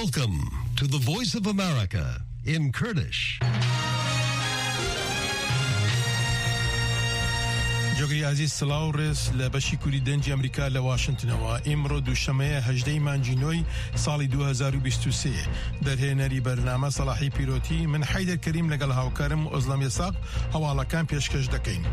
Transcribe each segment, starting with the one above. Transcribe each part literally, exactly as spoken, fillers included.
Welcome to the Voice of America in Kurdish. جۆگری ئازیز، سڵاو و ڕێز لە بەشی کوردی دەنگی ئەمریکا لە واشنتنەوە. ئیمڕۆ دووشەمەیە، هەژدەی مانگی نۆی ساڵی دوو هەزار و بیست و سێ. دەرهێنەری بەرنامە سەلاحی پیرۆتی، من حەیدەر کەریم لەگەڵ هاوکارم ئۆزلەم یەساق هەواڵەکان پێشکەش دەکەین.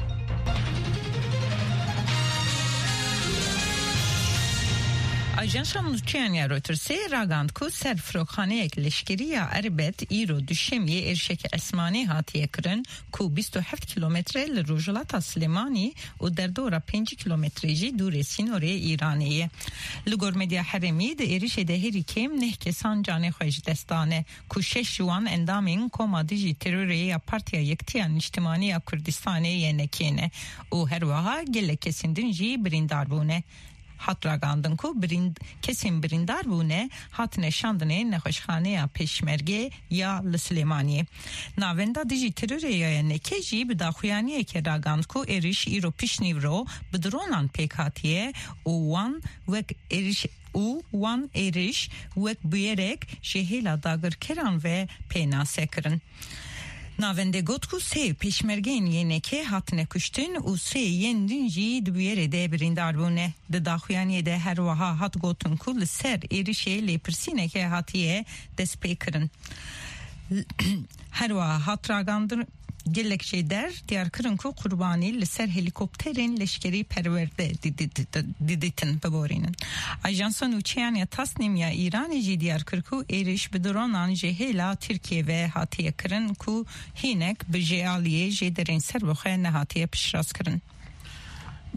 ئاژانسا نووچەیان یا رۆیتەرسێ راگەاند کو سەر فرۆکخانەیەک لەشکری یا ئەربەت ئیرۆ دووشەممێ ئێرشێکی ئەسمانی هاتیە کرن کو بیست و هەفت کیلۆمەترە لە ڕۆژهەڵاتا سلێمانی و دەردۆرە پێنج کیلۆمەترێ ژی دوورێ سینۆرێ ئیرانێ یە. لە گۆر مێدیا حەرێمی، دە ئێرشێ دە هێری کێم نەه کەسان جانێ خوێ ژی دەستانە، کو شەش ژوان ئەندامین کۆما دژی تێرۆرێ یا پارتیا یەکتیا نیشتیمانی یا کوردستانێ یە نەکێنە و هەروەها گەلێ کەسین دن ژی بریندار بوونە. هات راگەاندن کو بریند-، کەسین بریندار بوونە، هاتنە شاندنێ نەخۆشخانەیە پێشمەرگێ یا لە سلێمانیێ. ناوەندا دژی تێرۆرێ یا یە نەکێ ژی بە داخویانیەکێ راگەاند کو ئێرش ئیرۆ پیشنیورۆ بە درۆنان پێک هاتیە و وان وەک ئێرش و وان ئێرش وەک بویەرێک ژێ هێلا داگرکەران ڤە پێناسە کرن. ناوەندێ گوت کو سێ پێشمەرگەین یێنێکێ هاتنە کوشتن و سێ یێن دن ژی دە بویەرێ دە بریندار بوونە. دە داخویانیێ دە هەروەها هات گوتن کو لە سەر ئێرشێ لێپرسینەکێ هاتیە دەست پێ کرن. هەروەها هات راگەاندن گەلێک ژێ دەر دیار کرن کو قوربانی لە سەر هێلیکۆپتەرێن لەشکری پەروەردە دیدیتن ببورینن. ئاژانسا نووچەیان یا تاسنیم یا ئیرانی ژی دیار کر کو ئێرش بە درۆنان ژێ هێلا تورکیێ ڤە هاتیە کرن کو هینێک بە ژێ ئالیێ ژێ دەرێن سەر بخوێ نەهاتیە پشتڕاست کرن.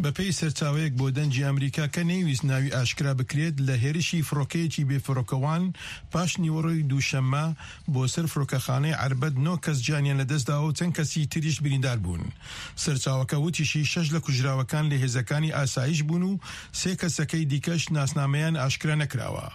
بە پێی سەرچاوەیەک بۆ دەنگی ئەمریکا کە نەیویست ناوی ئاشکرا بکرێت، لە هێرشی فڕۆکەیەکی بێفڕۆکەوان پاش نیوەڕۆی دووشەممە بۆ سەر فڕۆکەخانەی عەربەت نۆ کەس گیانیان لەدەستداوە و چەند کەسی تریش بریندار بوون. سەرچاوەکە وتیشی شەش لە کوژراوەکان لە هێزەکانی ئاسایش بوون و سێ کەسەکەی دیکەش ناسنامەیان ئاشکرا نەکراوە.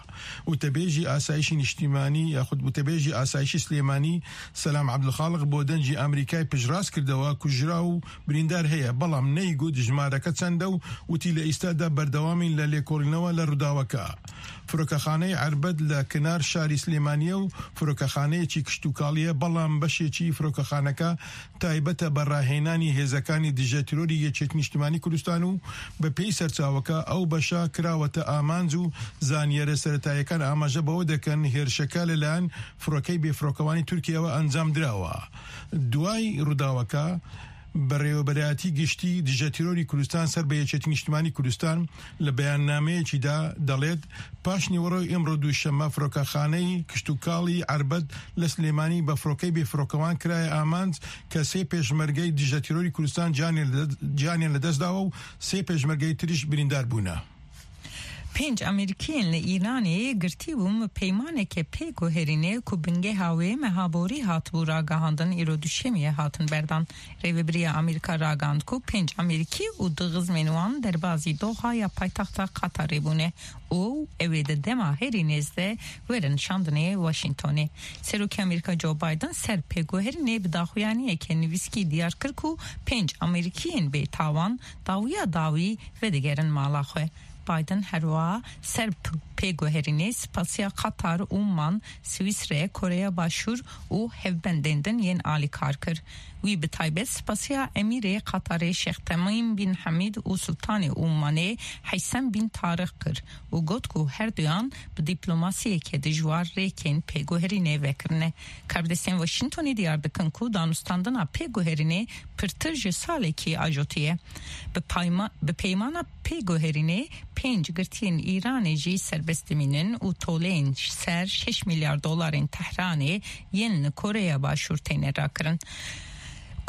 وتەبێژی ئاسایشی نیشتیمانی یاخود وتەبێژی ئاسایشی سلێمانی سەلام عەبدولخاڵق بۆ دەنگی ئەمریکای پشتڕاست کردەوە، کوژرا و بریندار هەیە، بەڵام نەیگوت ژمارەکە چەندە و وتی لە ئیستادا بەردەوامین لە لێکۆڵینەوە لە ڕووداوەکە. فرۆکەخانەی عەربەت لە کنار شاری سلێمانیە و فرۆکەخانەیەکی کشتوکاڵیە، بەڵام بەشێکی فرۆکەخانەکە تایبەتە بە ڕاهێنانی هێزەکانی دژە تیرۆری یەکێتی نیشتیمانی کوردستان و بە پێی سەرچاوەکە ئەو بەشە کراوەتە ئامانج و زانیارە سەرەتاییەکان ئاماژە بەوە دەکەن هێرشەکە لەلایەن فڕۆکەی بێفڕۆکەوانی تورکیاوە ئەنجام دراوە. دوای ڕووداوەکە، بەڕێوەبەرایەتی گشتی دژە تیرۆری کوردستان سەر بە یەکێتی نیشتیمانی کوردستان لە بەیاننامەیەکیدا دەڵێت، پاش نیوەڕۆی ئەمڕۆ دووشەممە فڕۆکەخانەی کشتوکاڵی عەربەت لە سلێمانی بە فڕۆکەی بێفڕۆکەوان کرایە ئامانج کە سێ پێشمەرگەی دژە تیرۆری کوردستان گیانیان لە-، گیانیان لەدەستداوە و سێ پێشمەرگەی تریش بریندار بوونە. پێنج ئەمریکیین لە ئیرانێ گرتی بوون پەیمانێکێ پێ گوهێرینێ کو بنگێ هاوێ مەهابۆری هاتبوو راگەهاندن ئیرۆ دووشەمیە هاتن بەردان. ڕێوەبریە ئەمریکا راگەاند کو پێنج ئەمریکی و دو خزمێن وان دەربازی دۆها یا پایتەختە قەتەرێ بوونێ و ئەوێ دە دەما هێری نێزدە وەرن شاندنێ واشینتۆنێ. سەرۆکی ئەمریکا جۆ بایدن سەر پێگوهرینێ بە داخویانیەکێ نویسکی دیار کرد کو پێنج ئەمریکیین بێ تاوان داویا داوی ڤەدەگەرن ماڵا خوێ. بایدن هەروەها سەر پ-، پێگوهرینێ سپاسیا قەتار، ئومان، سویسرە، کۆرەیا باشوور و هەڤبەندێن دن یێن ئالیکار کر. وی بە تایبەت سپاسیا ئەمیرێ قەتارێ شێخ تەمیم بین حەمید و سوڵتانێ ئومانێ حەیسەم بین تاریق کر و گوت کو هەردویان بە دیپلۆماسیەکێ دژوار رێکێن پێگوهرینێ ڤەکرنێ. کاربدەستێن واشینتۆنی دیار دکن کو دانوستاندنا پێگوهرینێ پرتر ژێ ساڵێکی ئاژۆتیە. بە پایما-، بە پەیمانا پێگوهرینێ پێنج گرتیین ئیرانێ ژی سەربەست دمینن و تۆلێن سەر شەش میلیارد دۆلارێن تەهرانێ یێن لە کۆرەیا باشوور تێنێ راکرن.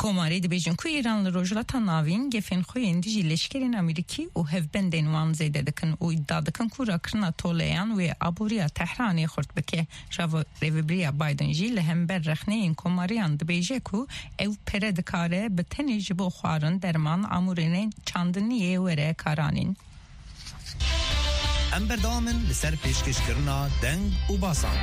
کۆماری دبێژن کو ئیران لە ڕۆژهەڵاتا ناوین گەفێن خوێن دژی لەشکرێن ئەمریکی و هەڤبەندێن وان زێدە دکن و ئیدعا دکن کو راکرنا تۆلەیان وێ ئابووریا تەهرانێ خورت بکێ. ڕاوە-، ڕێوەبریە بایدن ژی لە هەمبەر ڕەخنەیین کۆماریان دبێژێ کو ئەو پەرە دکارێ بە تەنێ ژی بۆ خوارن دەرمان ئاموورێنێ چاندنیێ وەرە کارانین. ئەم بەردەوامن لەسەر پێشکەشکردنا دەنگ و باسان.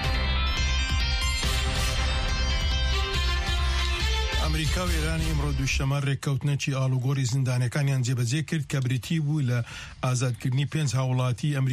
ئەمریکا و ئێران ئیمڕۆ دووشەمە ڕێککەوتنەکی ئاڵوگۆڕی زیندانەکانیان جێبەجێ کرد کە بریتی بوو لە ئازادکردنی پێنج هاوڵاتی ئەمریکا